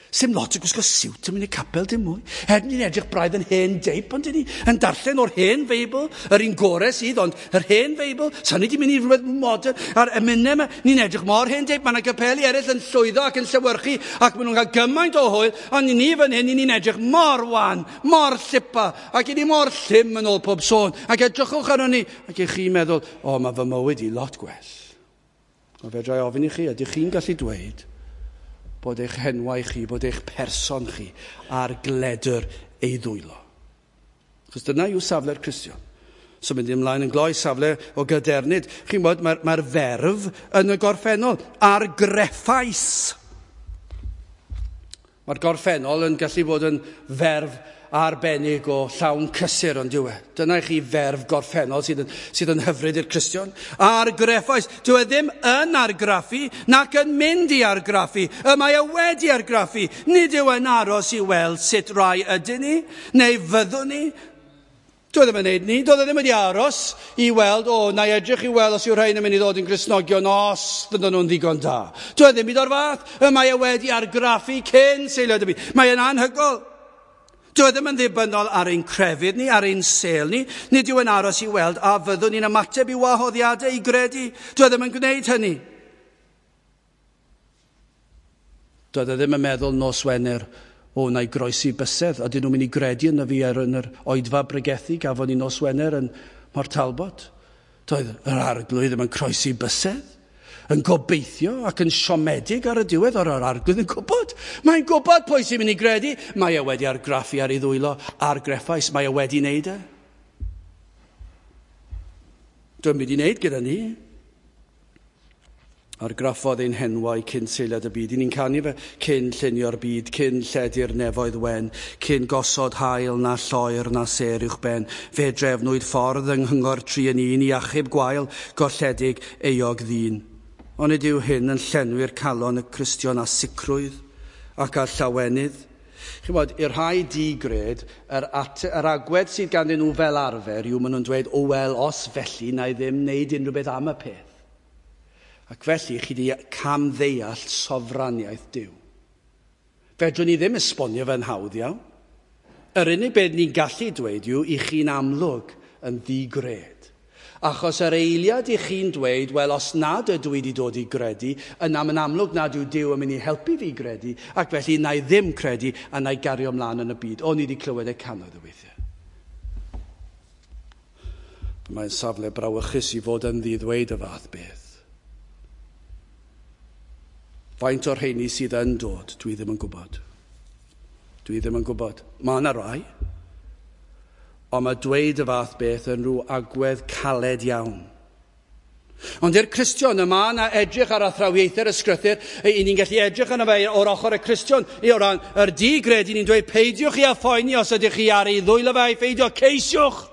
sim lot yn gwisgo siwt yn mynd i'r capel dim mwy, er ni'n edrych braidd yn hen deip, ond ni yn darllen o'r hen Feibl, yr un gore sydd, ond yr hen Feibl, sa ni wedi mynd i rhywbeth modern, a'r emynau yma, ni'n edrych mor hen deip, mae yna gapeli eraill yn llwyddo ac yn llewyrchu, ac maen nhw'n cael gymaint o hwyl, ond ni fan hyn, ni'n edrych mor wan, mor llipa, ac i ni mor llym yn ôl pob sôn, ac edrychwch arno ni, ac i chi'n meddwl, o, mae fy mywyd i lot gwell. A fedra i ofyn i chi, ydych chi'n gallu dweud bod eich henwau chi, bod eich person chi ar gledr ei ddwylo? Achos dyna yw safle'r Cristion. So mynd ymlaen yn gloi, safle o gadernid. Chi'n gwybod, mae'r mae ferf yn y gorffennol, argreffais. Mae'r gorffennol yn gallu bod yn ferf arbennig o llawn cysur, ond dyw e. Dyna i chi ferf gorffennol sydd yn, sydd yn hyfryd i'r Cristion. Argreffais. Dyw e ddim yn argraffu, nac yn mynd i argraffu. Y mae e wedi argraffu. Nid yw e'n aros i weld sut rai ydyn ni, neu fyddwn ni. Dyw e ddim yn neud ni. Doedd e ddim wedi aros i weld, o, na i edrych i weld os yw'r rhain yn mynd i ddod yn Gristnogion os fydden nhw'n ddigon da. Dyw e ddim i o'r fath. Y mae e wedi argraffu cyn seilio y byd. Mae e'n anhygoel. Dyw e ddim yn ddibynnol ar ein crefydd ni, ar ein sêl ni. Nid yw e'n aros i weld a fyddwn ni'n ymateb i wahoddiadau i gredu. Dyw e ddim yn gwneud hynny. Doedd e ddim yn meddwl nos Wener, o, na i groesi bysedd, a dyn nhw'n mynd i gredu yna fi ar yn yr oedfa bregethu gafon ni nos Wener yn Mor Talbot. Doedd yr arglwydd ddim yn croesi bysedd, yn gobeithio ac yn siomedig ar y diwedd, o'r arglwydd yn gwybod. Mae'n gwybod pwy sy'n mynd i gredu. Mae e wedi argraffu ar ei ddwylo, argreffais, mae e wedi wneud e. Dwi'n mynd i wneud gyda ni. Argraffodd ein henwau cyn seiliad y byd. I ni'n canu fe cyn llunio'r byd, cyn lledu'r nefoedd wen, cyn gosod haul na lloer na sêr uwch ben. Fe drefnwyd ffordd yng nghyngor tri yn un i achub gwael golledig euog ddyn. Onid yw hyn yn llenwi'r calon y Cristion â sicrwydd ac â llawenydd? Chimod, i'r rhai digred, yr, at, yr agwedd sydd ganddyn nhw fel arfer yw maen nhw'n dweud, o wel, os felly, na i ddim wneud unrhyw beth am y peth. Ac felly, chi wedi camddeall sofraniaeth Duw. Fedrwn ni ddim esbonio fe'n hawdd iawn. Yr unig beth ni'n gallu dweud yw i chi'n amlwg yn ddigred. Achos yr eiliad i chi'n dweud, wel, os nad ydw i wedi dod i gredu, yna mae'n amlwg nad yw Duw yn mynd i helpu fi gredu, ac felly na i ddim credu a na i gario ymlaen yn y byd. O'n i wedi clywed e cannoedd o weithiau. Mae'n safle brawychus i fod yn ddi-ddweud y fath beth. Faint o'r rheini sydd yn dod, dwi ddim yn gwybod. Dwi ddim yn gwybod. Mae yna rai. Ond mae dweud y fath beth yn rhyw agwedd caled iawn. Ond i'r Cristion, y mae yna edrych ar athrawiaethau'r ysgrythur, i ni'n gallu edrych arno fe o'r ochr y Cristion, i o ran yr digred, i ni'n dweud peidiwch chi â phoeni os ydych chi ar ei ddwylo fe a'i pheidio, ceisiwch.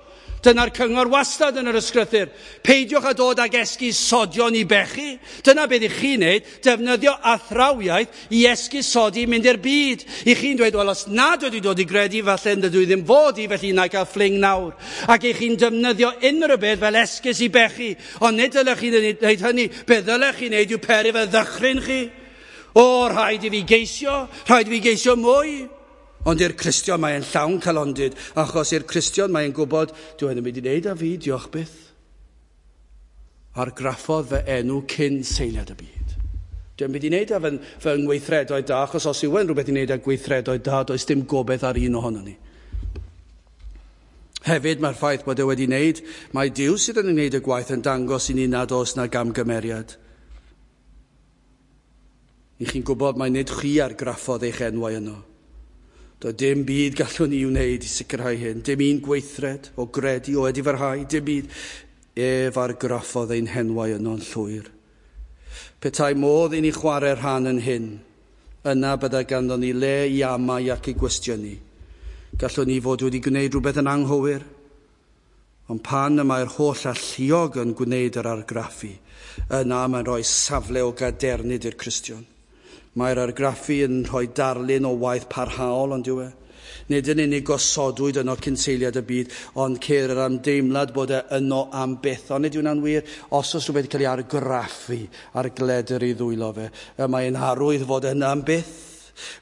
Dyna'r cyngor wastad yn yr ysgrythur. Peidiwch â dod ag esgusodion i bechu. Dyna beth i chi'n neud, defnyddio athrawiaeth i esgusodi mynd i'r byd. I chi'n dweud, wel, os nad wedi dod i gredu, falle dydw i ddim fod i, felly na i gael fling nawr. Ac i chi'n defnyddio unrhyw beth fel esgus i bechu. Ond nid dylech chi wneud hynny. Be ddylech chi wneud yw peri fe ddychryn chi. O, rhaid i fi geisio, rhaid i fi geisio mwy. Ond i'r Cristion mae'n llawn calondid, achos i'r Cristion mae'n gwybod, dwi yn mynd i wneud â fi, diolch byth. Argraffodd fy enw cyn seiliad y byd. Dwi'n mynd i wneud â fy, fy ngweithredoedd da, achos os yw e'n rhywbeth i wneud â gweithredoedd da, does dim gobaith ar un ohono ni. Hefyd mae'r ffaith bod e wedi wneud, mae Duw sydd yn wneud y gwaith yn dangos i ni nad oes na gamgymeriad. I chi'n gwybod mai nid chi argraffodd eich enwau yno. Doedd dim byd gallwn ni wneud i sicrhau hyn. Dim un gweithred o gredu, o edifarhau, dim byd. Ef argraffodd ein henwau yno'n llwyr. Petai modd i ni chwarae rhan yn hyn, yna byddai ganddo ni le i amau ac i gwestiynu. Gallwn ni fod wedi gwneud rhywbeth yn anghywir. Ond pan y mae'r holl alluog yn gwneud yr argraffu, yna mae'n rhoi safle o gadernid i'r Cristion. Mae'r argraffu yn rhoi darlun o waith parhaol, ond yw e? Nid yn unig gosodwyd yno cyn seiliad y byd, ond ceir yr ymdeimlad bod e yno am byth. Ond nid yw'n wir, os oes rhywbeth cael ei argraffu ar gledr ei ddwylo fe, y mae'n arwydd fod yno am byth.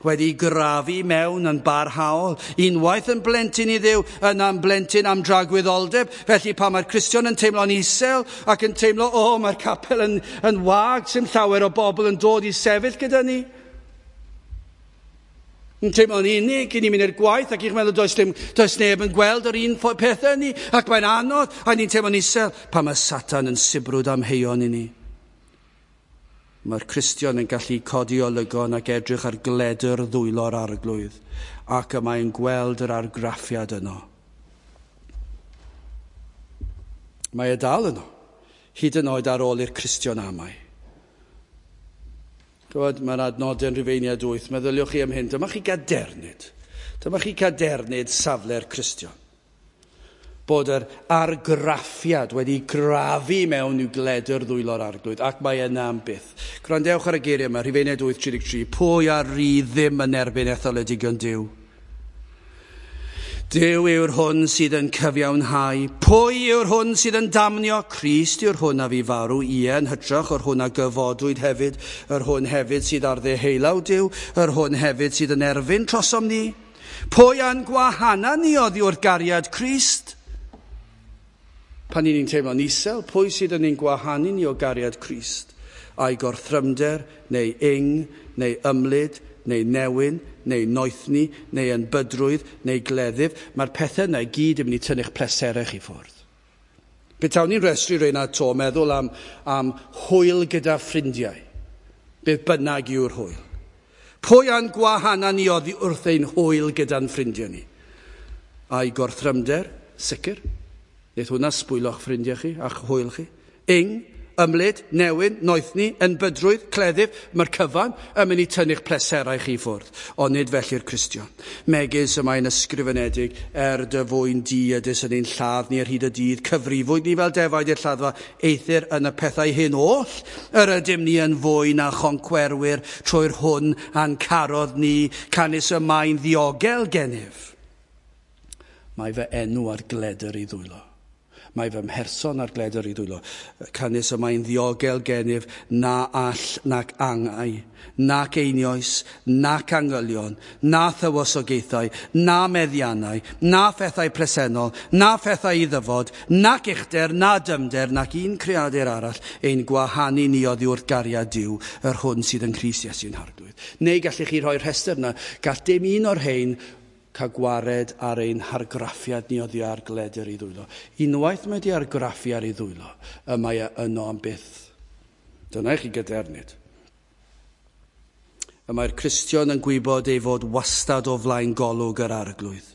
Wedi grafu mewn yn barhaol, unwaith yn blentyn i Dduw, yna'n blentyn am dragwyddoldeb. Felly pan mae'r Cristion yn teimlo'n isel ac yn teimlo, o, oh, mae'r capel yn, yn wag, sy'n llawer o bobl yn dod i sefyll gyda ni. Yn teimlo'n unig, i ni'n mynd i'r gwaith ac i'ch meddwl does, dim, does neb yn gweld yr un pethau ni, ac mae'n anodd, a ni'n teimlo'n isel pan mae Satan yn sibrwd amheuon i ni. Mae'r Cristion yn gallu codi olygon ac edrych ar gledr ddwylo'r arglwydd, ac y mae'n gweld yr argraffiad yno. Mae e dal yno, hyd yn oed ar ôl i'r Cristion amau. Gwybod, mae'r adnodau yn Rhufeiniaid wyth, meddyliwch chi am hyn, dyma chi gadernid. Dyma chi gadernid safle'r Cristion. Bod yr argraffiad wedi grafu mewn i'w gledr ddwylo'r arglwydd, ac mae yna am byth. Gwrandewch ar y geiriau yma, Rhufeiniaid wyth tri deg tri, pwy a ry ddim yn erbyn etholedigion Duw? Duw yw'r hwn sydd yn cyfiawnhau. Pwy yw'r hwn sydd yn damnio? Crist yw'r hwn a fu farw, ie, yn hytrach o'r hwn a gyfodwyd hefyd, yr hwn hefyd sydd ar ddeheulaw Duw, yr hwn hefyd sydd yn erfyn trosom ni. Pwy a'n gwahana ni oddi wrth gariad Crist? Pan ni'n teimlo'n isel, pwy sydd yn ein gwahanu ni o gariad Crist? A'i gorthrymder, neu ing, neu ymlid, neu newyn, neu noethni, neu enbydrwydd, neu gleddyf. Mae'r pethau yna i gyd yn mynd i tynnu'ch pleserau chi ffwrdd. Petawn ni'n rhestru rheina to, meddwl am, am hwyl gyda ffrindiau. Beth bynnag yw'r hwyl. Pwy a'n gwahana ni oddi wrth ein hwyl gyda'n ffrindiau ni? A'i gorthrymder, sicr. Neith hwnna sbwylo'ch ffrindiau chi a'ch hwyl chi. Ing, ymlid, newyn, noethni, enbydrwydd, cleddyf, mae'r cyfan yn mynd i tynnu'ch pleserau chi ffwrdd. Ond nid felly'r Cristion. Megis y mae'n ysgrifenedig, er dy fwyn di ydys yn ein lladd ni ar hyd y dydd, cyfrifwyd ni fel defaid i'r lladdfa, eithr yn y pethau hyn oll, yr ydym ni yn fwy na choncwerwyr trwy'r hwn a'n carodd ni, canys y mae'n ddiogel gennyf. Mae fy enw ar gledr i ddwylo. Mae fy mherson ar gledr i ddwylo. Canys y mae'n ddiogel gennyf na all nac angau, nac einioes, nac angylion, na thywysogaethau, na meddiannau, na phethau presennol, na phethau i ddyfod, nac uchder, na dymder, nac un creadur arall ein gwahanu ni oddi wrth gariad Duw, yr hwn sydd yn Nghrist Iesu'n Harglwydd. Neu gallech chi rhoi'r rhestr yna, gall dim un o'r rhain cael gwared ar ein hargraffiad ni oddi ar gledr i ddwylo. Unwaith mae di argraffu ar ei ddwylo, y mae e yno am byth. Dyna i chi gadernid. Y mae'r Cristion yn gwybod ei fod wastad o flaen golwg yr Arglwydd.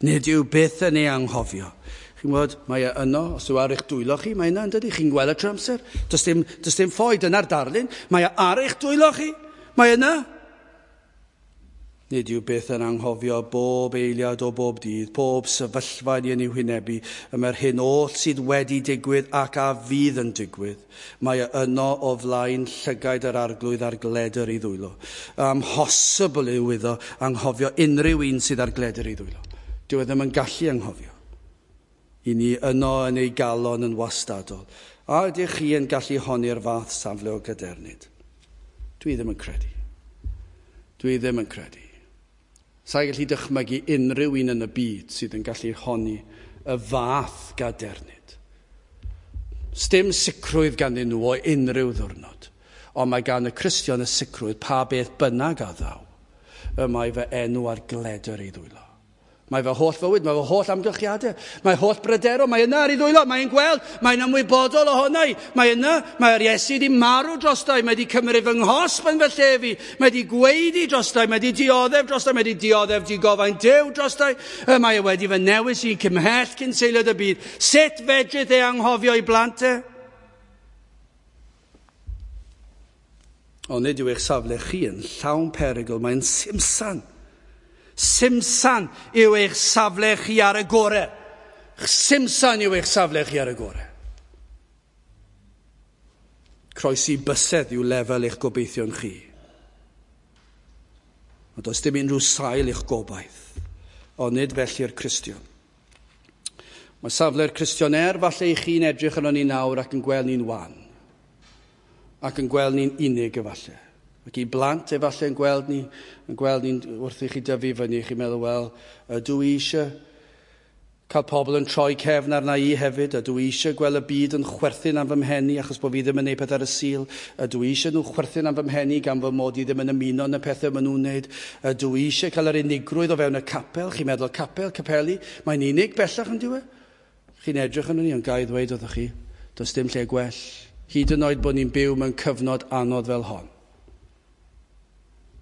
Nid yw byth yn ei anghofio. Chi'n gwybod, mae e yno, os yw ar eich dwylo chi, mae yna, yn dydi? Chi'n gweld y trwy amser. Does dim, does dim ffoi, dyna'r darlun. Mae e ar eich dwylo chi. Mae yna. Nid yw byth yn anghofio bob eiliad o bob dydd, pob sefyllfa ni yn ei hwynebu, y mae'r hyn oll sydd wedi digwydd ac a fydd yn digwydd. Mae e yno o flaen llygaid yr Arglwydd ar gledr ei ddwylo. Amhosibl yw iddo anghofio unrhyw un sydd ar gledr ei ddwylo. Dyw e ddim yn gallu anghofio. I ni yno yn ei galon yn wastadol. A ydych chi yn gallu honni'r fath safle o gadernid? Dwi ddim yn credu. Dwi ddim yn credu. Sa'i gallu dychmygu unrhyw un yn y byd sydd yn gallu honni y fath gadernid. Sdim sicrwydd ganddyn nhw o unrhyw ddwrnod, ond mae gan y Cristion y sicrwydd pa beth bynnag a ddaw, y mae fy enw ar gledr ei ddwylo. Mae fy holl fywyd, mae fy holl amgylchiadau, mae holl brydero, mae yna ar ei ddwylo, mae'n gweld, mae'n ymwybodol ohono i, mae yna, mae'r Iesu wedi marw drostai, mae wedi cymryd fy nghosb yn fy lle fi, mae wedi gweiddi drostai, mae wedi dioddef drostai, mae wedi dioddef digofain Duw drostai, mae e wedi fy newis i cymhell cyn seiliad y byd. Sut fedrith e anghofio ei blant e? Ond nid yw eich safle chi yn llawn perygl, mae'n simsan. Simsan yw eich safle chi ar y gore. Simsan yw eich safle chi ar y gore. Croesi bysedd yw lefel eich gobeithion chi. Ond does dim unrhyw sail eich gobaith, ond nid felly'r Cristion. Mae safle'r Cristion er falle i chi'n edrych arno ni nawr ac yn gweld ni'n wan, ac yn gweld ni'n unig efallai. Ac i blant efallai yn gweld ni, yn gweld ni'n wrth i chi dyfu fyny, chi'n meddwl, wel, ydw i eisiau cael pobl yn troi cefn arna i hefyd, ydw i eisiau gweld y byd yn chwerthin am fy mhen i achos bod fi ddim yn neud peth ar y Sul, ydw i eisiau nhw chwerthin am fy mhen i gan fy mod i ddim yn ymuno yn y pethau maen nhw'n neud, ydw i eisiau cael yr unigrwydd o fewn y capel, chi'n meddwl capel, capeli, mae'n unig bellach yn dyw e? Chi'n edrych arno ni, ond ga i ddweud wrthych chi, does dim lle gwell, hyd yn oed bod ni'n byw mewn cyfnod anodd fel hon.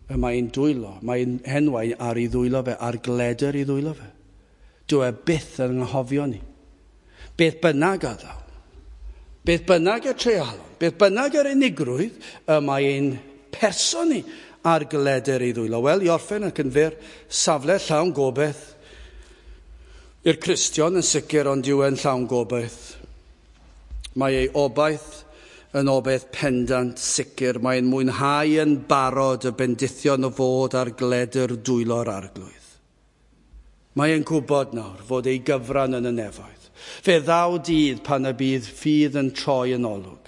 Y mae'n dwylo, mae'n henwau ar ei ddwylo fe, ar gledr ei ddwylo fe. Dyw e byth yn anghofio ni. Beth bynnag a ddaw, beth bynnag y treialon, beth bynnag yr unigrwydd, y mae ein person ni ar gledr ei ddwylo. Wel, i orffen ac yn fyr, safle llawn gobaith. I'r Cristion yn sicr, ond yw e'n llawn gobaith. Mae ei obaith yn obaith pendant sicr, mae'n mwynhau yn barod y bendithion o fod ar gledr dwylo'r Arglwydd. Mae'n gwybod nawr fod ei gyfran yn y nefoedd. Fe ddaw dydd pan y bydd ffydd yn troi yn olwg.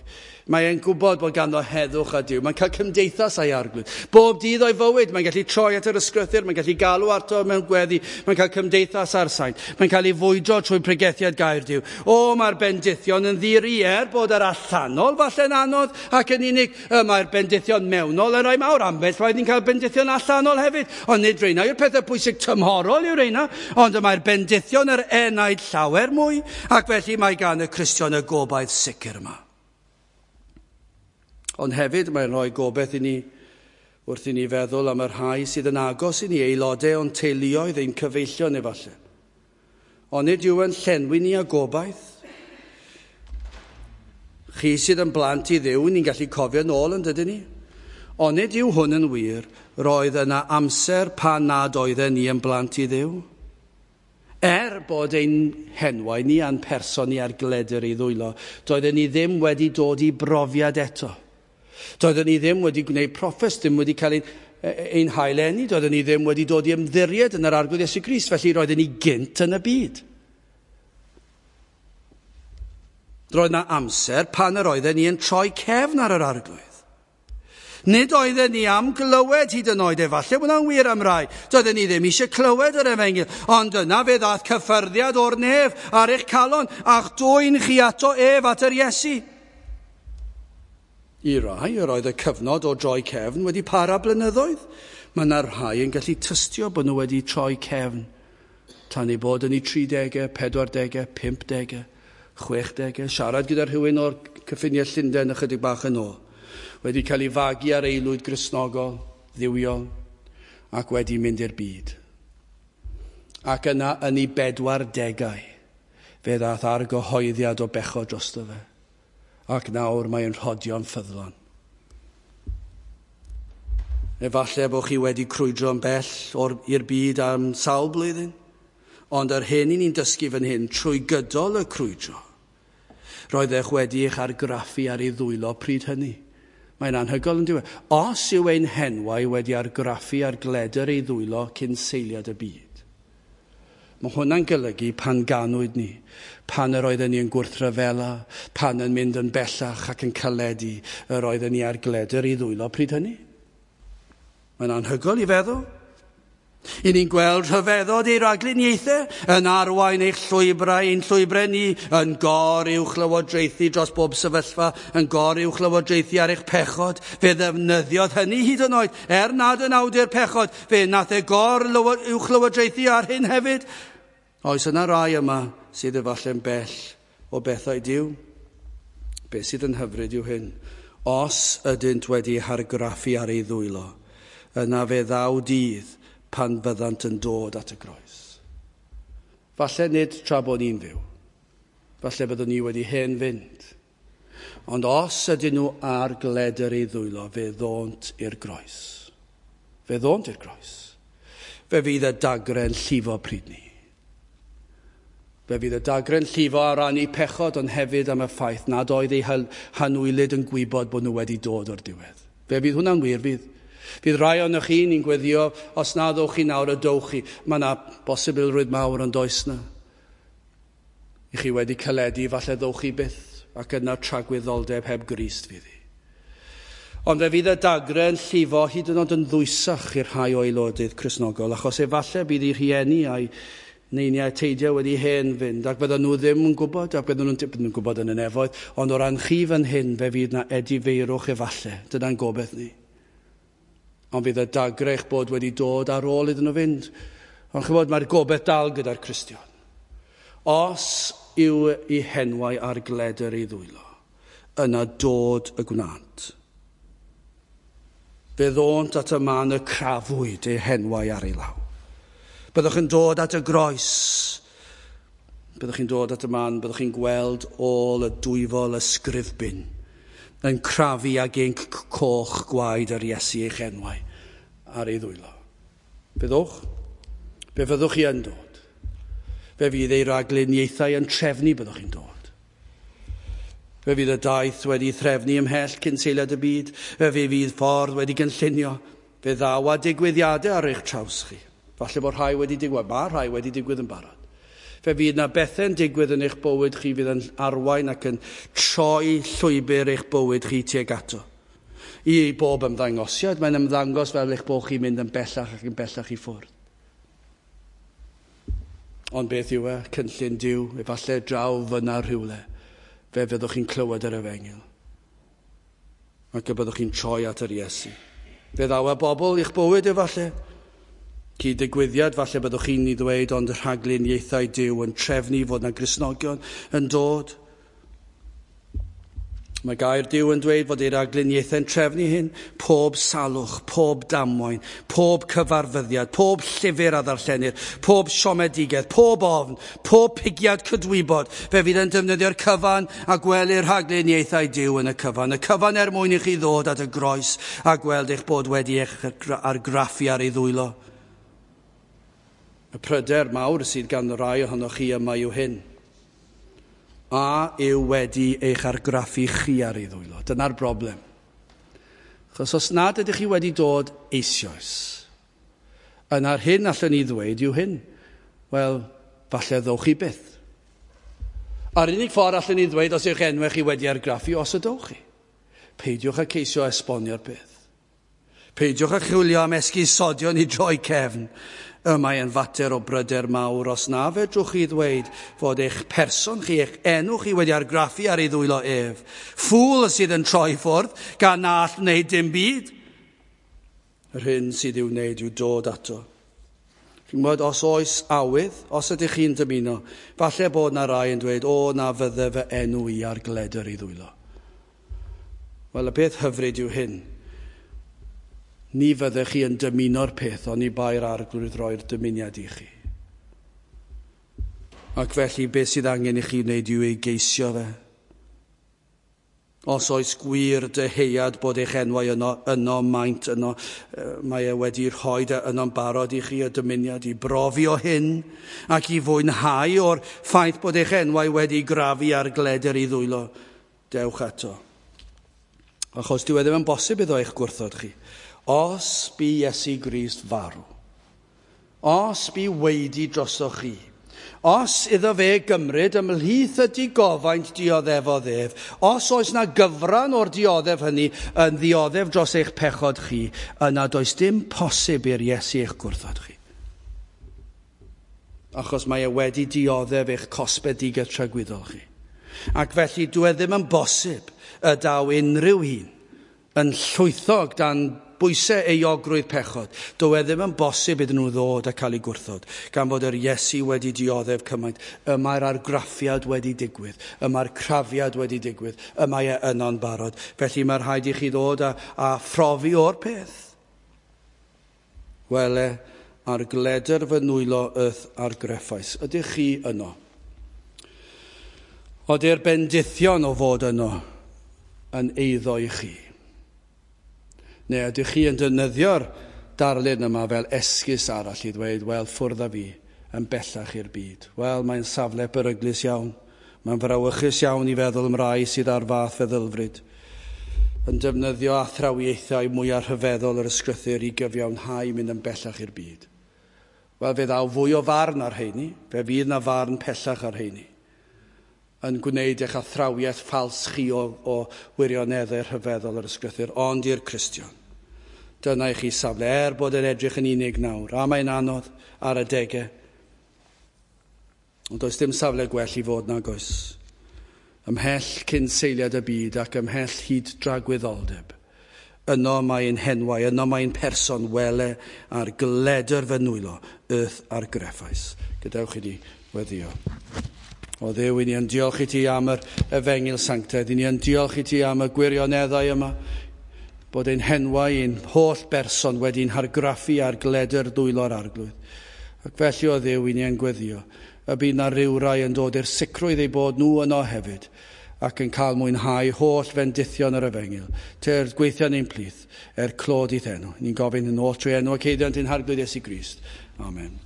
Mae'n gwybod bod ganddo heddwch a Duw. Mae'n cael cymdeithas â'i Arglwydd. Bob dydd o'i fywyd, mae'n gallu troi at yr ysgrythur, mae'n gallu galw ato mewn gweddi, mae'n cael cymdeithas â'r saint, mae'n cael ei fwydro trwy pregethiad gair Duw. O, mae'r bendithion yn ddi-ri er bod yr allanol falle'n anodd ac yn unig. Mae'r bendithion mewnol yn rhai mawr. Ambell waith ni'n cael bendithion allanol hefyd. Ond nid reina yw'r pethau pwysig tymhorol yw reina, ond mae'r bendithion yr enaid llawer mwy, ac felly mae gan y Cristion y gobaith sicr yma. Ond hefyd mae'n rhoi gobaith i ni wrth i ni feddwl am y rhai sydd yn agos i ni, aelodau o'n teuluoedd, ein cyfeillion efallai. Ond nid yw yn llenwi ni â gobaith. Chi sydd yn blant i Dduw, ni'n gallu cofio nôl yn dydyn ni? Ond nid yw hwn yn wir, roedd yna amser pan nad oedden ni yn blant i Dduw. Er bod ein henwau ni a'n person ni ar gledr ei ddwylo, doedden ni ddim wedi dod i brofiad eto. Doedden ni ddim wedi gwneud proffes, ddim wedi cael ein, ein haileni, doedden ni ddim wedi dod i ymddiried yn yr Arglwydd Iesu Grist, felly roedden ni gynt yn y byd. Roedd yna amser pan yr oedden ni yn troi cefn ar yr Arglwydd. Nid oedden ni am glywed hyd yn oed, efallai bod hwnna'n wir am rai. Doedden ni ddim eisiau clywed yr efengyl, ond yna fe ddaeth cyffyrddiad o'r nef ar eich calon, a'ch dwyn chi ato ef at yr Iesu. I rai, yr oedd y cyfnod o droi cefn wedi para blynyddoedd. Mae yna rhai yn gallu tystio bod nhw wedi troi cefn tan eu bod yn eu tridegau, pedwardegau, pumpdegau, chwechdegau. Siarad gyda rhywun o'r cyffiniau Llundain ychydig bach yn ôl. Wedi cael ei fagu ar aelwyd Gristnogol, dduwiol, ac wedi mynd i'r byd. Ac yna yn ei bedwar degau, fe ddaeth argyhoeddiad o bechod drosto fe. Ac nawr mae'n rhodio'n ffyddlon. Efallai bod chi wedi crwydro'n bell o'r, i'r byd am sawl blwyddyn, ond yr hyn i ni'n dysgu fan hyn trwy gydol y crwydro, roeddech wedi eich argraffu ar ei ddwylo pryd hynny. Mae'n anhygoel yn diwedd. Os yw ein henwau wedi argraffu ar gledr ei ddwylo cyn seiliad y byd. Mae hwnna'n golygu pan ganwyd ni, pan yr oedden ni yn gwrthryfela, pan yn mynd yn bellach ac yn caledu, yr oedden ni ar gledr ei ddwylo pryd hynny. Mae'n anhygoel i feddwl. I ni'n gweld rhyfeddod ei ragluniaethau yn arwain eich llwybrau, ein llwybrau ni, yn gor uwch lywodraethu dros bob sefyllfa, yn gor uwch lywodraethu ar eich pechod. Fe ddefnyddiodd hynny hyd yn oed, er nad yn awdur pechod, fe nath e gor uwch lywodraethu ar hyn hefyd. Oes yna rai yma sydd efallai'n bell o bethau Duw? Be sydd yn hyfryd yw hyn? Os ydynt wedi hargraffu ar ei ddwylo, yna fe ddaw dydd pan fyddant yn dod at y groes. Falle nid tra bod ni'n fyw. Falle byddwn ni wedi hen fynd. Ond os ydyn nhw ar gledr ei ddwylo, fe ddônt i'r groes. Fe ddônt i'r groes. Fe fydd y dagre'n llifo pryd ni. Fe fydd y dagre'n llifo ar ran eu pechod, ond hefyd am y ffaith nad oedd eu hanwylyd yn gwybod bod nhw wedi dod o'r diwedd. Fe fydd hwnna'n wir, fydd. Fydd rai ohonoch chi ni'n gweddio, os na ddowch chi nawr y dowch chi. Mae yna bosibilrwydd mawr ond oes na. I chi wedi caledu, falle ddowch chi byth, ac yna tragwyddoldeb heb Grist fydd hi. Ond fe fydd y dagre yn llifo hyd yn oed yn ddwysach i'r rhai o aelodydd Cristnogol, achos efallai bydd eu rhieni a'i neiniau teidiau wedi hen fynd, ac bydden nhw ddim yn gwybod, ac bydden nhw'n bydden nhw'n gwybod yn y nefoedd, ond o ran chi fan hyn, fe fydd na edifeirwch efallai. Dyna'n gobeith ni. Ond fydd y dagre eich bod wedi dod ar ôl iddyn nhw fynd. Ond chybod, mae'r gobeith dal gyda'r Cristion. Os yw ei henwau ar gledr ei ddwylo, yna dod y gwnant. Fe ddônt at y man y crafwyd ei henwau ar ei law. Byddwch yn dod at y groes. Byddwch chi'n dod at y man, byddwch chi'n gweld ôl y dwyfol ysgrifbin yn crafu ag inc coch gwaed yr Iesu eich enwau ar ei ddwylo. Byddwch? Fe fyddwch chi yn dod. Fe fydd ei ragluniaethau yn trefnu byddwch chi'n dod. Fe fydd y daith wedi threfnu ymhell cyn seiliad y byd. Fe fydd ffordd wedi gynllunio. Fe ddaw â digwyddiadau ar eich traws chi. Falle bod rhai wedi digwydd, mae rhai wedi digwydd yn barod. Fe fydd na bethau'n digwydd yn eich bywyd chi fydd yn arwain ac yn troi llwybr eich bywyd chi tuag ato. I bob ymddangosiad, mae'n ymddangos fel eich bod chi'n mynd yn bellach ac yn bellach i ffwrdd. Ond beth yw e? Cynllun Duw, efallai draw fyna rhywle, fe fyddwch chi'n clywed yr efengyl. Ac y byddwch chi'n troi at yr Iesu. Fe ddaw y bobl i'ch bywyd efallai. Cyd-digwyddiad, falle byddwch chi'n ei ddweud, ond y rhagluniaethau Duw yn trefnu fod na Gristnogion yn dod. Mae gair Duw yn dweud fod ei ragluniaethau'n trefnu hyn, pob salwch, pob damwain, pob cyfarfyddiad, pob llyfr a ddarllenir, pob siomedigaeth, pob ofn, pob pigiad cydwybod. Fe fydd yn defnyddio'r cyfan a gwelir rhagluniaethau Duw yn y cyfan. Y cyfan er mwyn i chi ddod at y groes a gweld eich bod wedi eich argraffu ar ei ddwylo. Y pryder mawr sydd gan rai ohonoch chi yma yw hyn. A yw wedi eich argraffu chi ar ei ddwylo? Dyna'r broblem. Achos os nad ydych chi wedi dod eisoes, yna'r hyn allwn ni ddweud yw hyn. Wel, falle ddowch chi byth. A'r unig ffordd allwn ni ddweud os yw'ch enwau chi wedi argraffu, os ydwch chi. Peidiwch â ceisio esbonio'r peth. Peidiwch â chwilio am esgusodion i droi cefn. Y mae yn fater o bryder mawr os na fedrwch chi ddweud fod eich person chi, eich enw chi wedi argraffu ar ei ddwylo ef. Ffŵl sydd yn troi ffwrdd gan na all wneud dim byd. Yr hyn sydd i'w wneud yw dod ato. Chi'n gwybod, os oes awydd, os ydych chi'n dymuno, falle bod na rai yn dweud, o, na fydde fy enw i ar gledr ei ddwylo. Wel, y peth hyfryd yw hyn. Ni fyddech chi yn dymuno'r peth, ond i bai'r arglwydd roi'r dymuniad i chi. Ac felly, beth sydd angen i chi wneud yw ei geisio fe. Os oes gwir dyheuad bod eich enwau yno, yno maint yno, mae e wedi rhoi yno'n barod i chi y dymuniad i brofi o hyn ac i fwynhau o'r ffaith bod eich enwau wedi grafu ar gledr i ddwylo. Dewch ato. Achos dyw e ddim yn bosib iddo eich gwrthod chi. Os bu Iesu Grist farw, os bu weidi drosoch chi, os iddo fe gymryd ymhlith y digofaint dioddefodd ef, os oes na gyfran o'r dioddef hynny yn ddioddef dros eich pechod chi, yna does dim posib i'r Iesu eich gwrthod chi. Achos mae e wedi dioddef eich cosbedigaeth tragwyddol chi. Ac felly dyw e ddim yn bosib y daw unrhyw un yn llwythog dan bwysau euogrwydd pechod. Dyw e ddim yn bosib iddyn nhw ddod a cael eu gwrthod, gan fod yr Iesu wedi dioddef cymaint. Y mae'r argraffiad wedi digwydd, y mae'r crafiad wedi digwydd, y mae e yno'n barod. Felly mae rhaid i chi ddod a, a phrofi o'r peth. Wele, ar gledr fy nwylo yth argreffais. Ydych chi yno? Ody'r bendithion o fod yno yn eiddo i chi? Neu ydych chi yn defnyddio'r darlun yma fel esgus arall i ddweud, wel, ffwrdd â fi yn bellach i'r byd. Wel, mae'n safle beryglus iawn. Mae'n frawychus iawn i feddwl am rai sydd ar fath feddylfryd. Yn defnyddio athrawiaethau mwyaf rhyfeddol yr ysgrythur i gyfiawnhau mynd yn bellach i'r byd. Wel, fe ddaw fwy o farn ar heini, fe fydd na farn pellach ar heini, yn gwneud eich athrawiaeth ffals chi o, o wirioneddau rhyfeddol yr ysgrythur, ond i'r Cristion. Dyna i chi safle, er bod yn edrych yn unig nawr, a mae'n anodd ar adegau. Ond does dim safle gwell i fod nag oes. Ymhell cyn seiliad y byd ac ymhell hyd dragwyddoldeb. Yno mae'n henwau, yno mae'n person wele ar gledr fy nwylo, yth ar greffais. Gadewch i ni weddio. O Dduw, i ni yn diolch i ti am yr efengyl sanctaidd, i ni yn diolch i ti am y gwirioneddau yma, bod ein henwau, ein holl berson wedi'n hargraffu ar gledr dwylo'r arglwydd. Ac felly o Dduw, i ni yn gweddio, y bydd na rywrai yn dod i'r sicrwydd eu bod nhw yno hefyd, ac yn cael mwynhau holl fendithion yr efengyl. Tyrd gweithio ni'n plith, er clod i'th enw. Ni'n gofyn yn ôl trwy enw ac eiddiant ein harglwydd Iesu Grist. Amen.